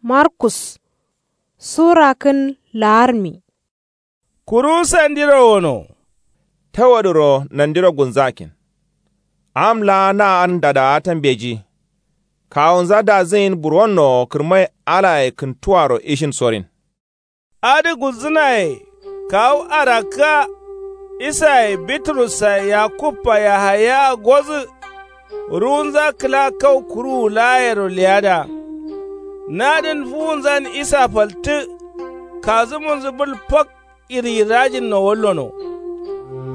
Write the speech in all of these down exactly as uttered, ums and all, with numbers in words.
Markus. Sura kǝn la'armi. Kuru sandiro wono. Tawadǝro nandiro gulnzakin. Am laa na adǝn dadaata mbeji. Kawunza dazǝyin buronno kǝrmai alaye kǝntuwaro ishin sorin. Adǝ gulzǝnaye. Kawu arakkǝa. Isaye bitrus-a yakub-a yahaya-a godǝ. Ruwunza kǝla kau kuruwu laayero leyada. Nadǝn fuwunzan isa faltǝ. Kazǝmunzǝ bǝl fak. Iryirajinno wallono.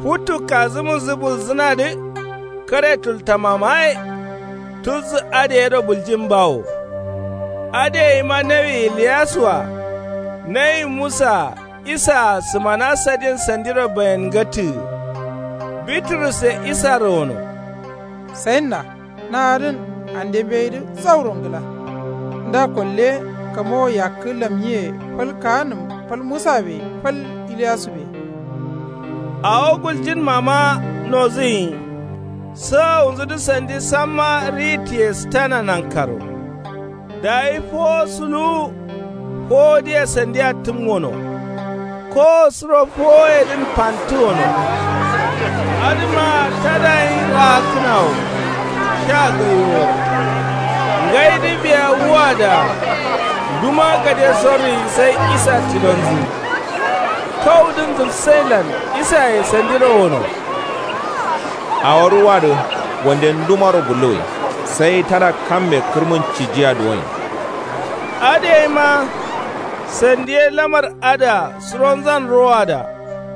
Futu kazǝmunzǝ bulzǝnadǝ. Kare tultamamaye. Tulzǝ adǝ yero buljin bawo. Adǝ yeima nawi iliyas-a. Nawi musa-a. Isa-a sǝmana sadin sandiro bayengatǝgǝ. Bitrus ye isaro wono. Sayinna. Na adǝn ande mbeyidǝ zauro ngla. Nda kolle kamowo yakkǝ lamnyiye fal kaanǝm fal musabe fal iliyasu be. Awo guljinmama nozǝnyi. Sawawunzǝdǝ sandi samma ritiye sǝtana nankaro. Dayi fowo suluwu. Fowodǝye sandiya tǝm wono. Kowo suro fowoyedǝn fantǝ wono. Adǝma tadayin raakkǝnawo. Sha gaiwo. Ngaidǝ biya wuwada. Nduma gade sorri sai isa tilonzǝ. Kaudǝn zǝlsailan isaye sandiro wono. Awo ruwadǝ wande ndumaro gulluwwi. Sai tada kamme kǝrmun cijiya duwoin. Adǝ yeima. Sandiye lamar adǝa suronzan rowada.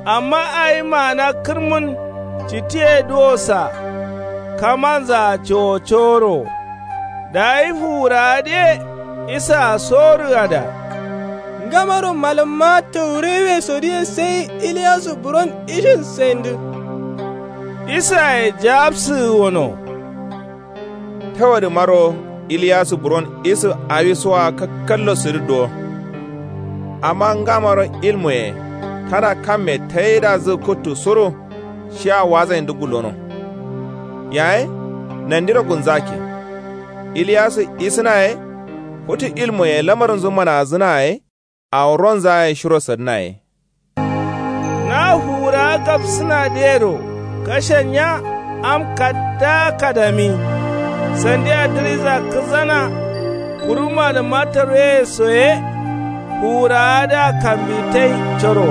Amma awi maana kǝrmun citiye duwosa. Kamanzaa cowo coworo. Dayi fuwurawadǝye isaa sorǝgada. Ngamaro malǝmma tawuraiwesodǝye sai iliyasu buron ishin saindǝ. Isaye jawabsǝgǝ wono. Tawadǝmaro iliyasu buron isǝ awisoa kakkallo sǝdǝ duwo. Amma ngamaro ilmuye tada kamme taidazǝ kuttu suru. Shiya wazaindǝ gullono. Yaye nandiro gulnzakin. Iliyasu isǝna ye. Futu ilmuye lamarnzu manazǝna ye. Awo ronzaye shiro sadǝna ye. Na fuwurawa gabsǝnadǝyero kashennya am kaddaa kadami. Sandiya dǝriza kǝzana. Kuru malǝmma taruweye soye. Fuwurawadǝa kambitai coro.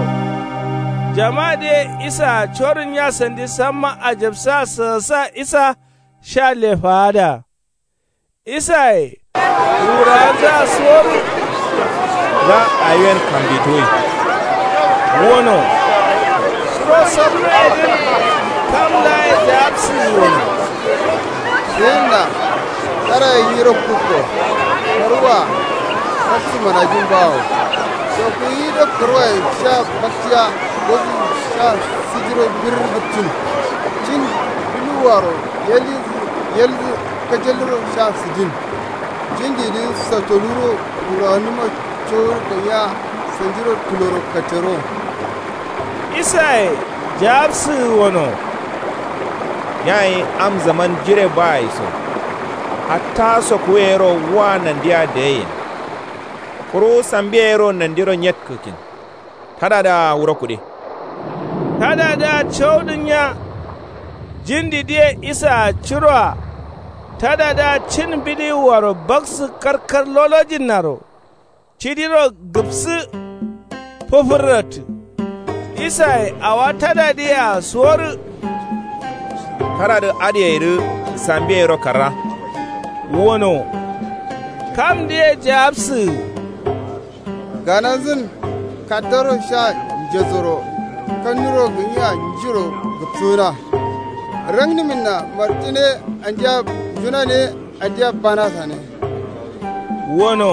Jamadǝye isaa corǝnnya sandi samma ajabsa sǝgǝsa isa. Sha lefaada. Isaye fuwurawanzǝa sorǝ. La awiyen kambituwwi. Wono. Suro sorǝ yedǝn. Kam laye jawabsǝgǝ wono. Sǝyinna. Karaye nyiro kukko. Karwa. Kaksǝ manajin bawo. Sokuwidǝ karwaye sha baktiya. Gozu sha sǝjiro birr gǝttin. Cin duluwaro yelizǝ yelzǝ. Kajalliro sha sǝjin. Jindidǝ satoluro wurawanǝma cowor ganya. Sandiro tuloro katero. Isaye jawabsǝgǝ wono. Yayi am zaman jire bayi so. Hatta sokuweyero wa nandiya dayeyin. Kuru sambiya yero nandiro nyetkǝkin. Tadadǝa wuro kude. Tadadǝa caudǝnnya. Jindidǝye isaa curoa. Tadadǝa cin bidiwuaro baksǝ karkar lolojinnaro. Cidiro gǝpsǝ. Fǝfǝrratǝ. Isaye awa tadadǝyea suworǝ. Tadadǝ adǝyeidǝ sambiyeyero karra. Wono. Kamdǝye jawabsǝgǝ. Gananzǝn kaddaro sha njezoro. Kannuro gǝnyiya njiro gǝpsǝgǝna. Rannǝminna martine andiya njunane. Andiya banasane. Wono.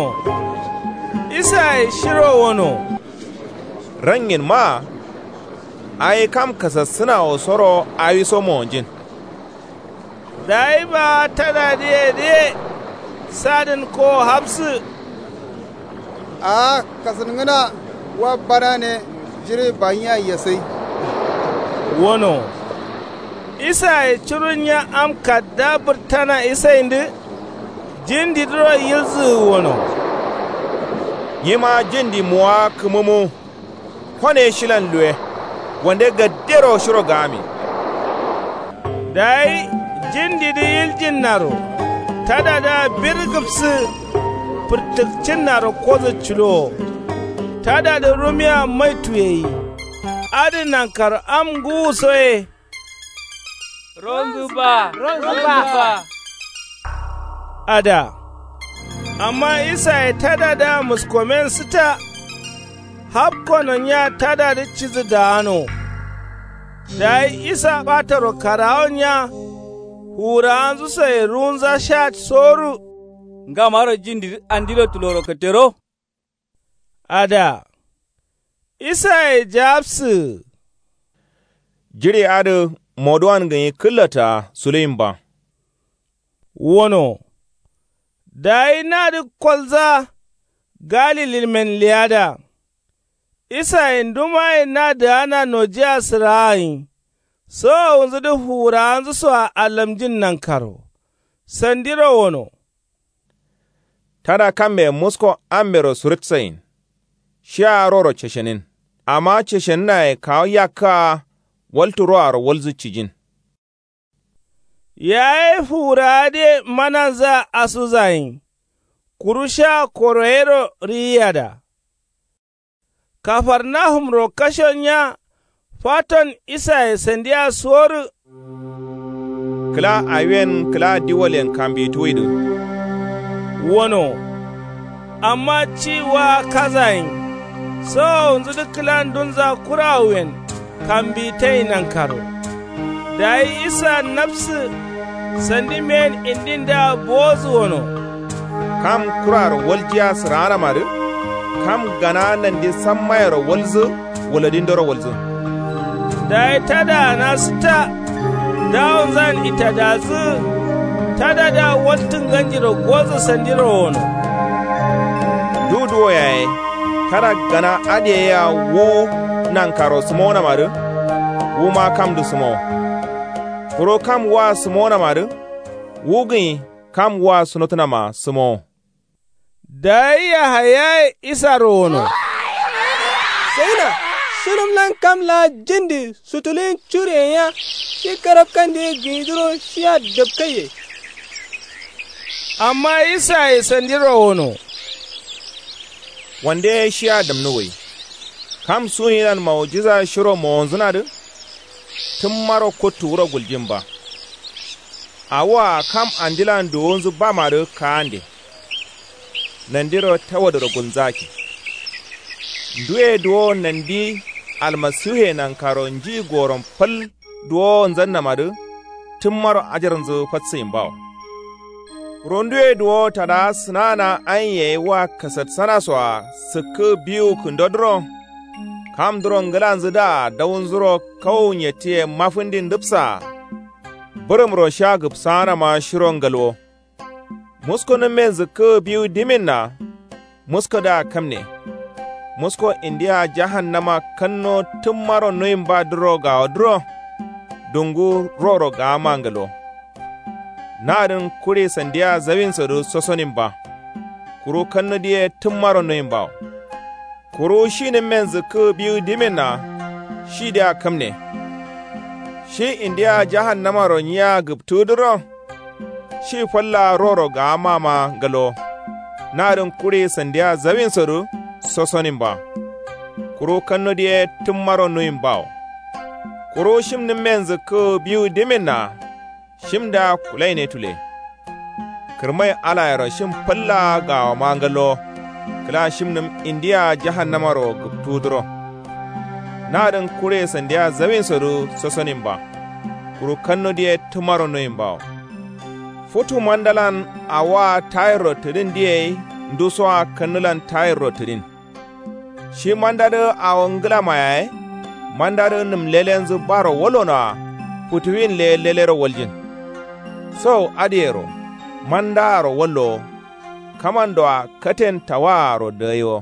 Isaye shiro wono. Rannginma. Awi kam kasassǝnawosoro awiso monjin. Dayi baa tadadǝyedǝye. Sadǝn kowo hafsǝ. Aa kasǝngǝna wa banane. Jire banyiya yesai. Wono. Isaye curunnya am kadda bǝrtana isaindǝ. Jindidǝro yilzǝgǝ wono. Nyima jindi muwa kǝmǝmu. Kone shilan luwe. Wande gaddero shiro gami. Dayi jindidǝ yiljinnaro tadadǝa bir gǝpsǝ. Fǝrtǝkcinnaro kodǝ culowo. Tadadǝ rumiya mai tuyeyi. Adǝ nankaro am ngǝwuso ye. Ronzǝ ba. Ronzǝ ba. Ada. Amma isaye tadadǝa muskomen sǝta. Hapkono nya tadadǝ cidǝ daano. Dayi isa ɓataro karawo nya. Fuwurawanzǝ soye ruwunza sha soru. Ngamaro jindidǝ andiro tuloro kǝttero. Ada. Isaye jawabsǝ. Jiɍi adǝ moduwan gǝnyi kǝllata suluyin ba. Wono. Dayi nadǝ kolza. Galililmen leyada. Isaye ndumaye nadǝgana nojiya sǝraagǝnyi. Sowowunzǝdǝ fuwurawanzǝ soa allamjin nankaro. Sandiro wono. Tada kamme musko ambero surutsayin. Shia roro ceshenin. Amma ceshenǝnaye kawu yakkǝa. Waltu roaro walzǝ cijin. Yaye fuwurawa dǝye mananzǝa asuzayin. Kuru sha koro yero riyiyada. Kafarnahumro kasho nya. Faton isaye sandiya soru. Kǝla awiyen kǝla diwalyen kambituwidǝ. Wono. Amma ci wa kazayin. Sowowunzǝdǝ kǝla ndunza kurawuyen. Kambitai nankaro. Dayi isa nafsǝ. Sandi men indindǝa bowozǝ wono. Kam kuraro waljiya sǝraanamadǝ. Kam gana nandi sammayero walzǝ. Wuladindoro walzǝ. Dayi tada gana sǝtta. Dawonzan itadazǝ. Tadadǝa waltǝ nganjiro gozǝ sandiro wono. Duduwo yaye. Tada gana adǝ yea wu nankaro sǝmaunamadǝ. Wuma kamdǝ sǝmawo. Kuru kam wua sǝmaunamadǝ. Wu gǝnyi kam wua sunotǝnama sǝmawo. Dayi yahayaye isaro wono. Saina. Shǝnǝmlan kam laa jindi sutuluyin curiyen ya. Shi karabkandǝ ye gǝnyidǝro shiya dapkaiye. Amma isaye sandiro wono. Wande ye shiya damnǝ wai. Kam suwuyilan maujiza shiro mowonzǝnadǝ. Tǝmmaro kuttu wuro guljin ba. Awua kam andilan duwunzǝ bamadǝ kaande. Nandiro tawadǝro gulnzaki. Nduye duwo nandi almasiwuye nankaro nji gorom fal duwowonzannamadǝ. Tǝmmaro ajarnzǝ fatsǝyin bawo. Kuru nduye duwo tada sǝnana aiye wa kasatsana soa sǝkkǝ biwu kǝndodǝro. Kamdǝro ngǝlanzǝdǝa daunzuro kawu nyettǝye mafǝndi ndǝbsaa. Bǝrǝmro sha gǝbsaanama shiro ngalwo. Muskunǝmmen zǝkkǝ biwu diminna. Muskudǝa kamne. Musko indiya jahannama kanno tǝmmaro nuyin ba duro gawodǝro. Dungu roro gama ngalo. Nadǝn kuri sandiya zawinsodǝ sosonin ba. Kuru kannudǝ ye tǝmmaro nuyin bawo. Kuru shinǝmmen zǝkkǝ biwu diminna. Shidǝa kamne. Shi indiya jahannamaro nyiya gǝptudǝro. Shi falla roro gawamama ngalo. Nadǝn kuri sandiya zawinsodǝ sosonin ba. Kuru kannudǝ ye tǝmmaro nuyin bawo. Kuru shimnǝmmen zǝkkǝ biwu diminna. Shimdǝa kulaine tule. Kǝrmai alayero shim falla gawama ngallo. Kǝla shimnǝm indiya jahannamaro gǝptudǝro. Nadǝn kure sandiya zawinsodǝ sosonin ba. Kuru kannudǝ ye tǝmmaro nuyin bawo. Futu mandalan awoa tayirro tǝdin diyei. Ndusoa kannulan tayirro tǝdin. Shi mandadǝ awo ngǝlama yaye. Mandadǝ nǝm lelenzu baro wolonoa. Futuwin le lelero waljin. Sowo adǝyero mandaaro wallowo. Kamandoa katen tawaaro dagayiwo.